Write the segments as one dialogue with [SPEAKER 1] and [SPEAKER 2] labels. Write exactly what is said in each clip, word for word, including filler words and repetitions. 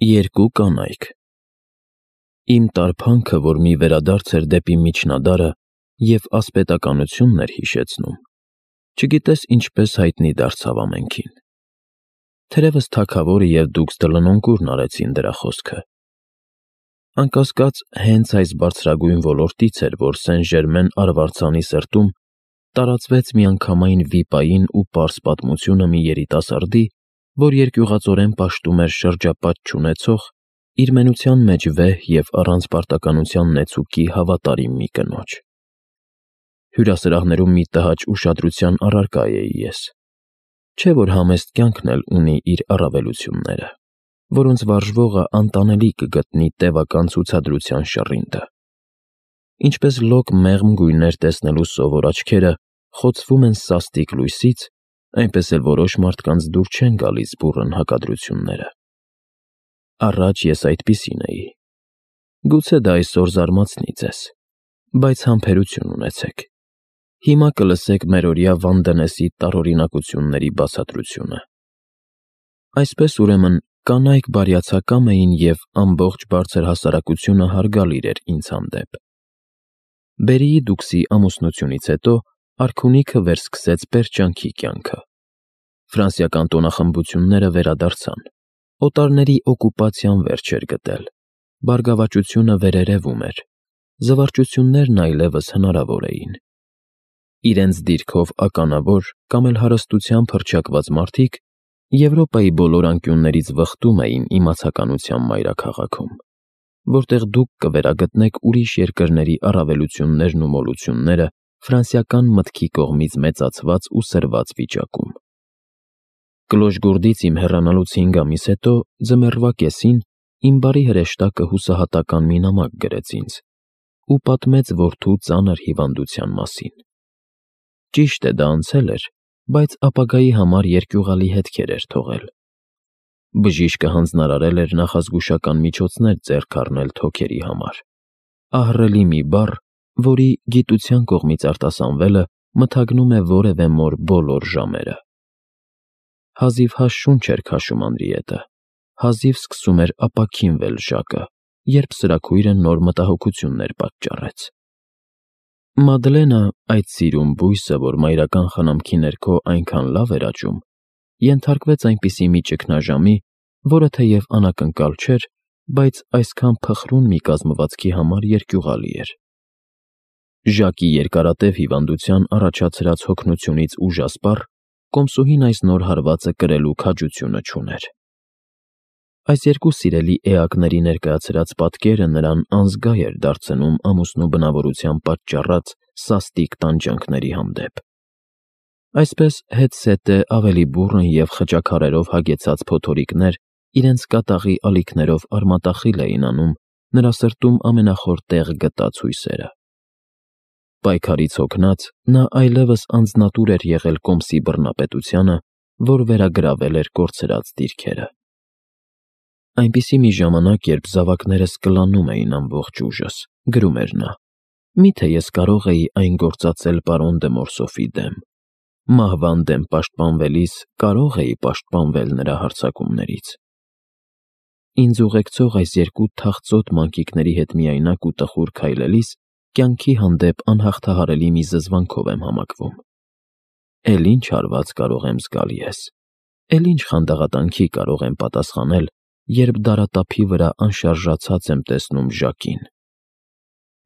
[SPEAKER 1] Երկու կանայք։ Իմ տարփանքը, որ մի վերադարձ էր դեպի միջնադարը և ասպետականությունն էր հիշեցնում, չգիտես ինչպես հայտնի դարձավ ամենքին։ Թերևս թագավորը և դուքս դլնոնկուրն արեցին դրա խոսքը։ Անկասկած, հենց այս բարձրագույն ոլորտից էր, որ Սեն-Ժերմեն արվարձանի սրտում տարածվեց միանգամայն վիպային ու պարզ պատմությունը մի երիտասարդի, որ երկյուղածորեն պաշտում էր շրջապատ չունեցող, իր մենության մեջ վեհ և առանց պարտականության նեցուկի հավատարիմ մի կնոջ։ Հյուրասրահներում մի տհաճ ուշադրության առարկա էի ես, չէ՞ որ համեստ կյանքն էլ ունի իր առավելությունները, որոնց վարժվողը անտանելի կգտնի տևական ցուցադրության շռինկը։ Ինչպես լոկ մեղմ գույներ տեսնելու սովոր աչքերը խոցվում են սաստիկ լույսից, այնպես էլ որոշ մարդկանց դուր չեն գալիս բուռն հակադրությունները։ Առաջ ես այդպիսին էի։ Գուցե դա այսօր զարմացնի ձեզ, բայց համբերություն ունեցեք։ Հիմա կլսեք մերօրյա Վանդենեսի տարօրինակությունների բացատրությունը։ Այսպես, ուրեմն, կանայք բարյացակամ էին և ամբողջ բարձր հասարակությունը հարգալիր էր ինձ հանդեպ։ Բերիի դուքսի ամուսնությունից հետո արքունիքը վերսկսեց պերճանքի կյանքը։ Ֆրանսիական տոնախմբությունները վերադարձան, օտարների օկուպացիան վերջ էր գտել, բարգավաճությունը վերերևում էր, զվարճություններն այլևս հնարավոր էին։ Իրենց դիրքով ականավոր կամ էլ հարստությամբ հռչակված մարդիկ Եվրոպայի բոլոր անկյուններից վխտում էին իմացականության մայրաքաղաքում, որտեղ դուք կվերագտնեք ուրիշ երկրների առավելություններն ու մոլությունները ֆրանսիական մտքի կողմից մեծացված ու սրված վիճակում։ Կլոշգորդից իմ հեռանալուց հինգ ամիս հետո ձմեռվա կեսին իմ բարի հրեշտակը հուսահատական մի նամակ գրեց ինձ ու պատմեց որդու ծանր հիվանդության մասին։ Ճիշտ է, դա անցել էր, բայց ապագայի համար երկյուղալի հետքեր էր թողել։ Բժիշկը հանձնարարել էր նախազգուշական միջոցներ ձեռք առնել թոքերի համար, ահռելի մի բառ, որի գիտության կողմից արտասանվելը մթագնում է որևէ մոր բոլոր ժամերը։ Հազիվ հա շունչ էր քաշում Անրիետը, հազիվ սկսում էր ապաքինվել Ժակը, երբ սրաքույրը նոր մտահոգություններ պատճառեց։ Մադլենը, այդ սիրուն բույսը, որ մայրական խնամքի ներքո այնքան լավ էր աճում, ենթարկվեց այնպիսի մի ճգնաժամի, որը թեև անակնկալ չէր, բայց այսքան փխրուն մի կազմվածքի համար երկյուղալի էր։ Ժակի երկարատև հիվանդության առաջացրած հոգնությունից ուժասպառ կոմսուհին այս նոր հարվածը կրելու քաջությունը չուներ։ Այս երկու սիրելի էակների ներկայացրած պատկերը նրան անզգա էր դարձնում ամուսնու բնավորության պատճառած սաստիկ տանջանքների հանդեպ։ Այսպես հետզհետե ավելի բուռն և խճաքարերով հագեցած փոթորիկներ իրենց կատաղի ալիքներով արմատախիլ էին անում նրա սրտում ամենախոր տեղ գտած հույսերը։ Պայքարից հոգնած՝ նա այլևս անձնատուր էր եղել կոմսի բռնապետությանը, որ վերագրավել էր կորցրած դիրքերը։ Այնպիսի մի ժամանակ, երբ զավակներս կլանում էին ամբողջ ուժս, գրում էր նա, միթե ես կարող էի այն գործածել պարոն դը Մորսոֆի դեմ, մահվան դեմ պաշտպանվելիս կարող էի պաշտպանվել նրա հարձակումներից։ Ինձ ուղեկցող այս երկու թախծոտ մանկիկների հետ միայնակ ու տխուր քայլելիս կյանքի հանդեպ անհաղթահարելի մի զզվանքով եմ համակվում։ Էլ ինչ հարված կարող եմ զգալ ես, էլ ինչ խանդաղատանքի կարող եմ պատասխանել, երբ դարատափի վրա անշարժացած եմ տեսնում Ժակին։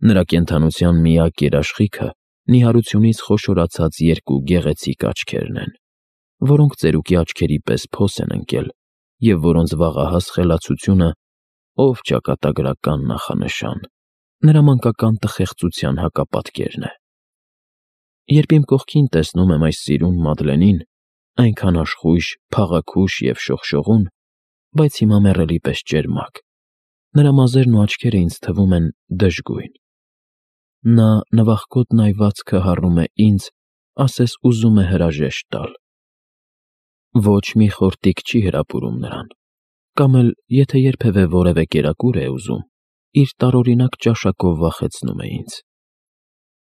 [SPEAKER 1] Նրա կենդանության միակ երաշխիքը նիհարությունից խոշորացած երկու գեղեցիկ աչքերն են, որոնք ծերուկի աչքերի պես փոս են ընկել և որոնց վաղահաս խելացությունը, ով ճակատագրական նախանշան, նրա մանկական տխեղծության հակապատկերն է։ Երբ իմ կողքին տեսնում եմ այս սիրուն Մադլենին, այնքան աշխույժ, փաղաքուշ և շողշողուն, բայց հիմա մեռելի պես ճերմակ, նրա մազերն ու աչքերը ինձ թվում են դժգույն։ Նա նվախկոտ նայվածքը հառում է ինձ, ասես ուզում է հրաժեշտ տալ։ Ոչ մի խորտիկ չի հրապուրում նրան, կամ էլ, եթե երբևէ որևէ կերակուր է ուզում, իր տարօրինակ ճաշակով վախեցնում է ինձ։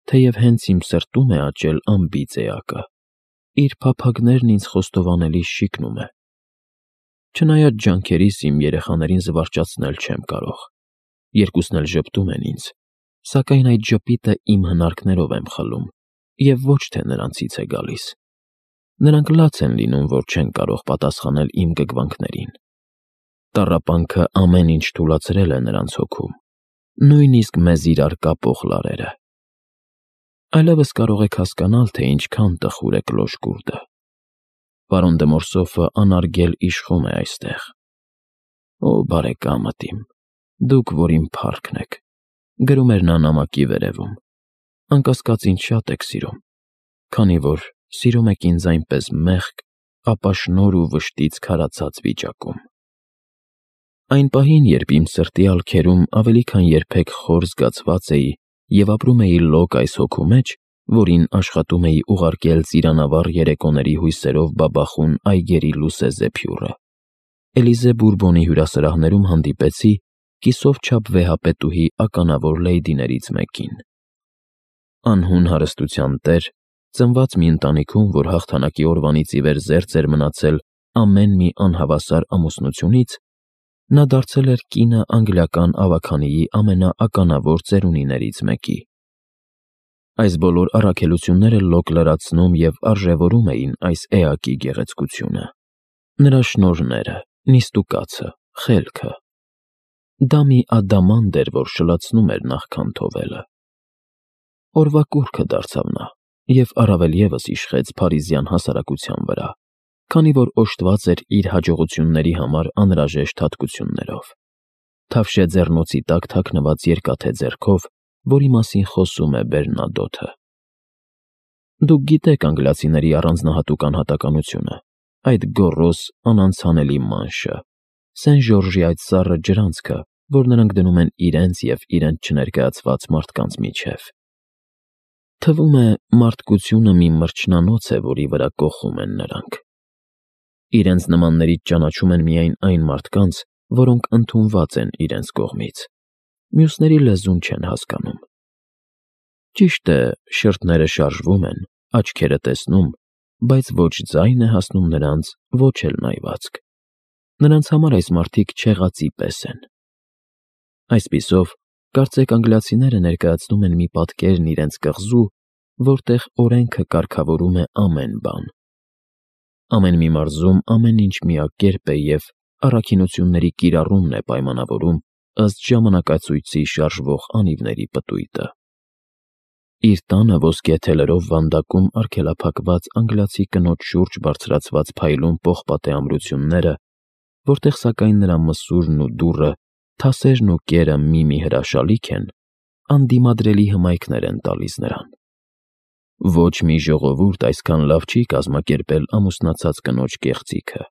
[SPEAKER 1] Թեև հենց իմ սրտում է աճել անբիծ էակը, իր փափագներն ինձ խոստովանելի շիկնում է։ Չնայած ջանքերիս իմ երեխաներին զվարճացնել չեմ կարող, երկուսն էլ ժպտում են ինձ, սակայն այդ ժպիտը իմ հնարքներով եմ խլում և ոչ թե նրանցից է գալիս։ Նրանք լաց են լինում, որ չեն կարող պատասխանել իմ գգվանքներին։ Տառապանքը ամեն ինչ թուլացրել է նրանց հոգում, նույնիսկ մեզ իրար կապող լարերը։ Այլևս կարող եք հասկանալ, թե ինչքան տխուր է կլոշ-գուրդը։ Պարոն դե Մորսոֆը անարգել իշխում է այստեղ։ Օ, բարեկամդ իմ, դուք, որ իմ փառքն եք, գրում էր նա նամակի վերևում, անկասկած ինձ շատ եք սիրում, քանի որ սիրում եք ինձ այնպես մեղք, ապաշնոր ու վշտից քարացած վիճակում։ Այն պահին, երբ իմ սրտի ալքերում ավելի քան երբեք խոր զգացված էի և ապրում էի լոկ այս հոգու մեջ, որին աշխատում էի ուղարկել ծիրանավառ երեկոների հույսերով բաբախուն այգերի լուսեզեփյուռը, Էլիզե Բուրբոնի հյուրասրահներում հանդիպեցի կիսով չափ վեհապետուհի ականավոր լեյդիներից մեկին։ Անհուն հարստության տեր, ծնված մի ընտանիքում, որ հաղթանակի օրվանից ի վեր զերծ էր մնացել ամեն մի անհավասար ամուսնությունից, նա դարձել էր կինը անգլիական ավագանիի ամենաականավոր ծերունիներից մեկի։ Այս բոլոր առաքելությունները լոկ լրացնում և արժևորում էին այս էակի գեղեցկությունը, նրա շնորհները, նիստուկացը, խելքը։ Դա մի ադամանդ էր, որ շլացնում էր նախքան թովելը։ Օրվա կուռքը դարձավ նա և առավել ևս իշխեց փարիզյան հասարակության վրա, քանի որ օժտված էր իր հաջողությունների համար անհրաժեշտ հատկություններով, թավշե ձեռնոցի տակ թաքնված երկաթե ձեռքով, որի մասին խոսում է Բերնադոթը։ Դուք գիտեք անգլիացիների առանձնահատուկ անհատականությունը, այդ գոռոզ, անանցանելի մանշը, Սեն Ժորժի այդ սառը ջրանցքը, որ նրանք դնում են իրենց և իրենց չներկայացված մարդկանց միջև։ Թվում է, մարդկությունը մի մրջնանոց է, որի վրա կոխում են նրանք։ Իրենց նմաններից ճանաչում են միայն այն մարդկանց, որոնք ընդունված են իրենց կողմից, մյուսների լեզուն չեն հասկանում։ Ճիշտ է, շրթները շարժվում են, աչքերը տեսնում, բայց ոչ ձայն է հասնում նրանց, ոչ էլ նայվածք։ Նրանց համար այս մարդիկ չեղածի պես են։ Այսպիսով, կարծեք անգլիացիները ներկայացնում են մի պատկերն իրենց կղզու, որտեղ օրենքը կարգավորում է ամեն բան։ Ամեն մի մարզում ամեն ինչ միակերպ է և առաքինությունների կիրառումն է պայմանավորում ըստ ժամանակացույցի շարժվող անիվների պտույտը։ Իր տանը ոսկե թելերով վանդակում արգելափակված անգլիացի կնոջ շուրջ բարձրացված փայլուն պողպատե ամրությունները, որտեղ սակայն նրա մսուրն ու դուռը, թասերն ու կերը մի-մի հրաշալիք են, անդիմադրելի հմայքներ են տալիս նրան։ Ոչ մի ժողովուրդ այսքան լավ չի կազմակերպել ամուսնացած կնոջ կեղծիքը,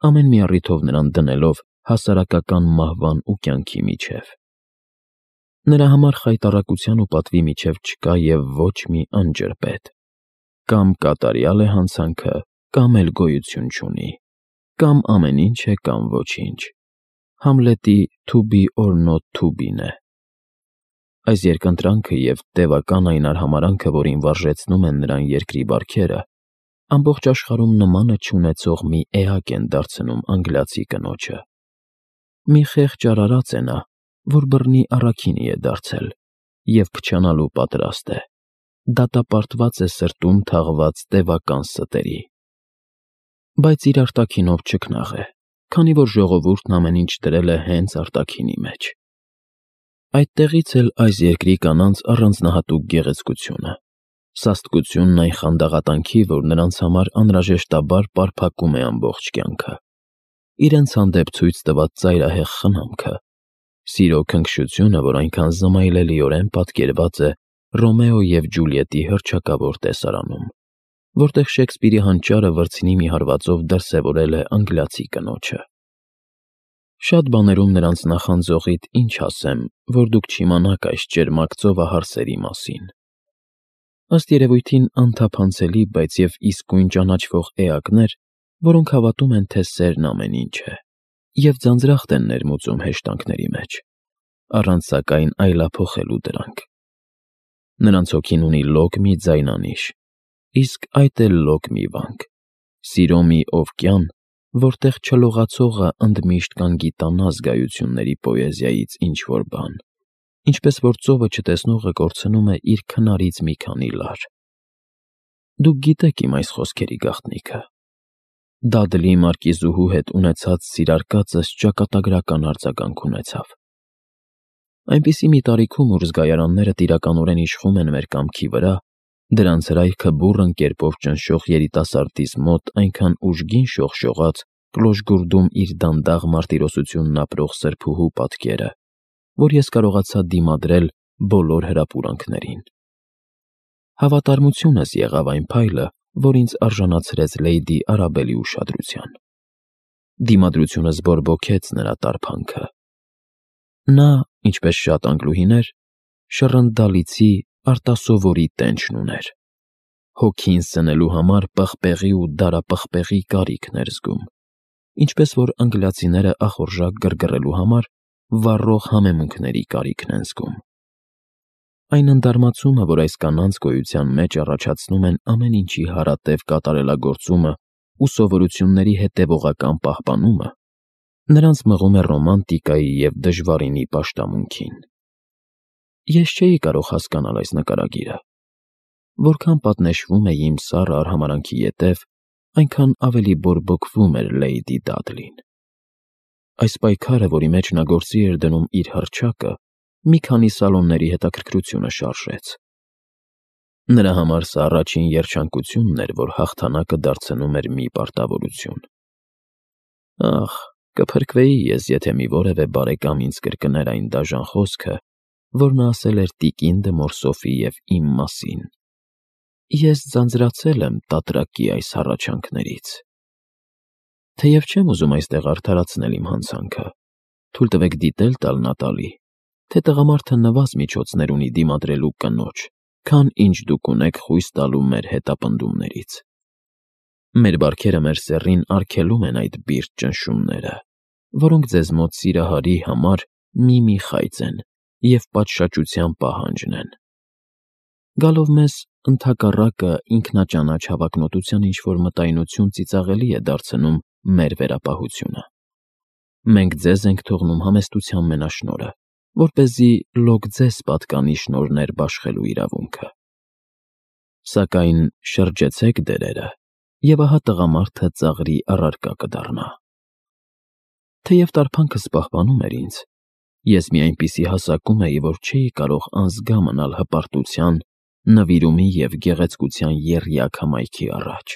[SPEAKER 1] ամեն մի առիթով նրան դնելով հասարակական մահվան ու կյանքի միջև։ Նրա համար խայտառակության ու պատվի միջև չկա և ոչ մի անջրպետ։ Կամ կատարյալ է հանցանքը, կամ էլ գոյություն չունի, կամ ամեն ինչ է, կամ ոչինչ։ Համլետի «to be or not to be»-ն է։ Այս երկընտրանքը և տևական այն արհամարհանքը, որին վարժեցնում են նրան երկրի բարքերը, ամբողջ աշխարհում նմանը չունեցող մի էակ են դարձնում անգլիացի կնոջը։ Մի խեղճ արարած է նա, որ բռնի առաքինի է դարձել և փչանալու պատրաստ է, դատապարտված է սրտում թաղված տևական ստերի։ Բայց իր արտաքինով չքնաղ է, քանի որ ժողովուրդն ամեն ինչ դրել է հենց արտաքինի մեջ։ Այդտեղից էլ այս երկրի կանանց առանձնահատուկ գեղեցկությունը, սաստկությունն այն խանդաղատանքի, որ նրանց համար անհրաժեշտաբար պարփակում է ամբողջ կյանքը, իրենց հանդեպ ցույց տված ծայրահեղ խնամքը, սիրո քնքշությունը, որ այնքան զմայլելիորեն պատկերված է Ռոմեո և Ջուլիետի հռչակավոր տեսարանում, որտեղ Շեքսպիրի հանճարը վրձինի մի հարվածով դրսևորել է անգլիացի կնոջը։ Շատ բաներում նրանց նախանձողիդ ինչ ասեմ, որ դուք չիմանաք այս ճերմակ ծովահարսերի մասին։ Ըստ երևույթին անթափանցելի, բայց և իսկույն ճանաչվող էակներ, որոնք հավատում են, թե սերն ամեն ինչ է, և ձանձրախտ են ներմուծում հեշտանքների մեջ, առանց սակայն այլափոխելու դրանք։ Նրանց հոգին ունի լոկ մի ձայնանիշ, իսկ այդ էլ լոկ մի վանք, սիրո մի օվկիան, որտեղ չլողացողը ընդմիշտ կանգիտանա զգայությունների պոեզիայից ինչ-որ բան, ինչպես որ ծովը չտեսնողը կորցնում է իր քնարից մի քանի լար։ Դուք գիտեք իմ այս խոսքերի գաղտնիքը։ Դադլի մարկիզուհու հետ ունեցած սիրարկածս ճակատագրական արձագանք ունեցավ։ Այնպիսի մի տարիքում, ուր զգայարանները տիրականորեն իշխում են մեր կամքի վրա, դրանց հրայքը բուռն կերպով ճնշող երիտասարդիս մոտ այնքան ուժգին շողշողաց կլոժգուրդում իր դանդաղ մարտիրոսությունն ապրող սրբուհու պատկերը, որ ես կարողացա դիմադրել բոլոր հրապուրանքներին։ Հավատարմությունս եղավ այն փայլը, որ ինձ արժանացրեց Լեյդի Արաբելի ուշադրության։ Դիմադրությունս բորբոքեց նրա տարփանքը։ Նա, ինչպես շատ անգլուհիներ, շռնդալիցի արտասովորի տենչն ուներ։ Հոգին սնելու համար պղպեղի ու դարապղպեղի կարիքն էր զգում, ինչպես որ անգլիացիները ախորժակ գրգռելու համար վառող համեմունքների կարիքն են զգում։ Այն ընդարմացումը, որ այս կանանց գոյության մեջ առաջացնում են ամեն ինչի հարատև կատարելագործումը ու սովորությունների հետևողական պահպանումը, նրանց մղում է ռոմանտիկայի և դժվարինի պաշտամունքին։ Ես չէի կարող հասկանալ այս նկարագիրը։ Որքան պատնեշվում էի իմ սառը արհամարհանքի ետև, այնքան ավելի բորբոքվում էր Լեյդի Դադլին։ Այս պայքարը, որի մեջ նա գործի էր դնում իր հռչակը, մի քանի սալոնների հետաքրքրությունը շարժեց։ Նրա համար սա առաջին երջանկությունն էր, որ հաղթանակը դարձնում էր մի պարտավորություն։ Ախ, կփրկվեի ես, եթե մի որևէ բարեկամ ինձ կրկներ այն դաժան խոսքը, որ նա ասել էր տիկին դը Մորսոֆի և իմ մասին։ Ես ձանձրացել եմ տատրակի այս հառաչանքներից։ Թեև չեմ ուզում այստեղ արդարացնել իմ հանցանքը, թույլ տվեք դիտել տալ Նատալի, թե տղամարդը նվազ միջոցներ ունի դիմադրելու կնոջ, քան ինչ դուք ունեք խույս տալու մեր հետապնդումներից։ Մեր բարքերը մեր սեռին արգելում են այդ բիրտ ճնշումները, որոնք ձեզ մոտ սիրահարի համար մի-մի խայծ են և պատշաճության պահանջն են։ Գալով մեզ, ընդհակառակը ինքնաճանաչ հավակնոտության ինչ-որ մտայնություն ծիծաղելի է դարձնում մեր վերապահությունը։ Մենք ձեզ ենք թողնում համեստության մենաշնորհը, որպեսզի լոկ ձեզ պատկանի շնորհներ բաշխելու իրավունքը։ Սակայն շրջեցեք դերերը, և ահա տղամարդը ծաղրի առարկա կդառնա։ Թեև տարփանքս պահպանում էր ինձ, ես մի այնպիսի հասակում էի, որ չէի կարող անզգա մնալ հպարտության, նվիրումի և գեղեցկության եռյակ հմայքի առաջ։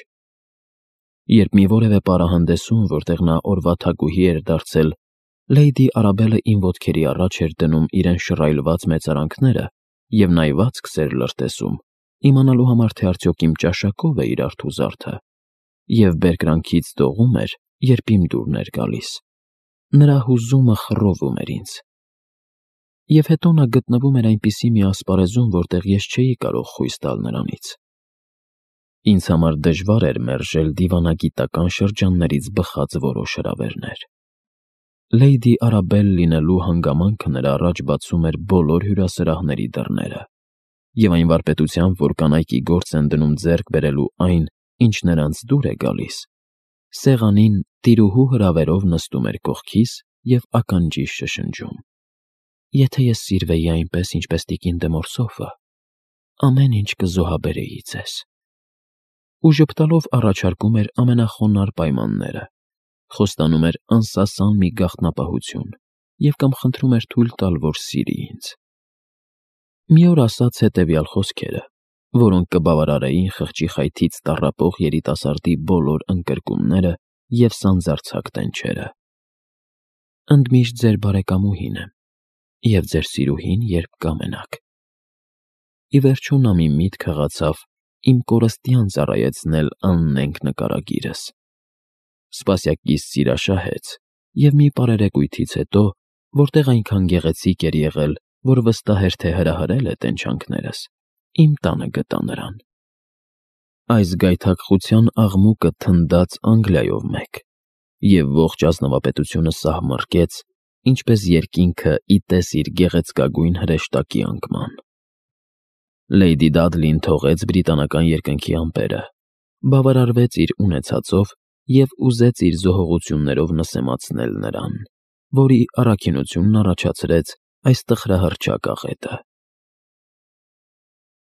[SPEAKER 1] Երբ մի որևէ պարահանդեսում, որտեղ նա օրվա թագուհի էր դարձել, Լեյդի Արաբելը իմ ոտքերի առաջ էր դնում իրեն շռայլված մեծարանքները և նայվածքս էր լրտեսում, իմանալու համար, թե արդյոք իմ ճաշակով է իր արթուզարդը, և բերկրանքից դողում էր, երբ իմ դուրն էր գալիս, նրա հուզումը խռովում էր ինձ։ Եվ հետո նա գտնվում էր այնպիսի մի ասպարեզում, որտեղ ես չէի կարող խույս տալ նրանից։ Ինձ համար դժվար էր մերժել դիվանագիտական շրջաններից բխած որոշ հրավերներ։ Լեյդի Արաբել լինելու հանգամանքը նրա առաջ բացում էր բոլոր հյուրասրահների դռները, և այն վարպետությամբ, որ կանայքի գործ են դնում ձեռք բերելու այն, ինչ նրանց դուր է գալիս, սեղանին տիրուհու հրավերով նստում էր կողքիս և ականջիս շշնջում. «Եթե ես սիրվեի այնպես, ինչպես տիկին դը Մորսոֆը, ամեն ինչ կզոհաբերեի ձեզ»։ Ու ժպտալով առաջարկում էր ամենախոնարհ պայմանները, խոստանում էր անսասան մի գաղտնապահություն և կամ խնդրում էր թույլ տալ, որ սիրի ինձ։ Մի օր ասաց հետևյալ խոսքերը, որոնք կբավարարեին խղճի խայթից տառապող երիտասարդի բոլոր ընկրկումները և սանձարձակ տենչերը. «Ընդմիշտ ձեր բարեկամուհին եմ, և ձեր սիրուհին, երբ կամենաք»։ Ի վերջո նա մի միտք հղացավ իմ կորստյան ծառայեցնել աննենգ նկարագիրս։ Սպասյակիս սիրաշահեց, և մի պարերեկույթից հետո, որտեղ այնքան գեղեցիկ էր եղել, որ վստահ էր, թե հրահրել է տենչանքներս, իմ տանը գտա նրան։ Այս գայթակղության աղմուկը թնդաց Անգլիայով մեկ, և ողջ ազնվապետությունը սահմռկեց, ինչպես երկինքը ի տես իր գեղեցկագույն հրեշտակի անկման։ Լեյդի Դադլին թողեց բրիտանական երկնքի ամպերը, բավարարվեց իր ունեցածով և ուզեց իր զոհողություններով նսեմացնել նրան, որի առաքինությունն առաջացրեց այս տխրահռչակ աղետը։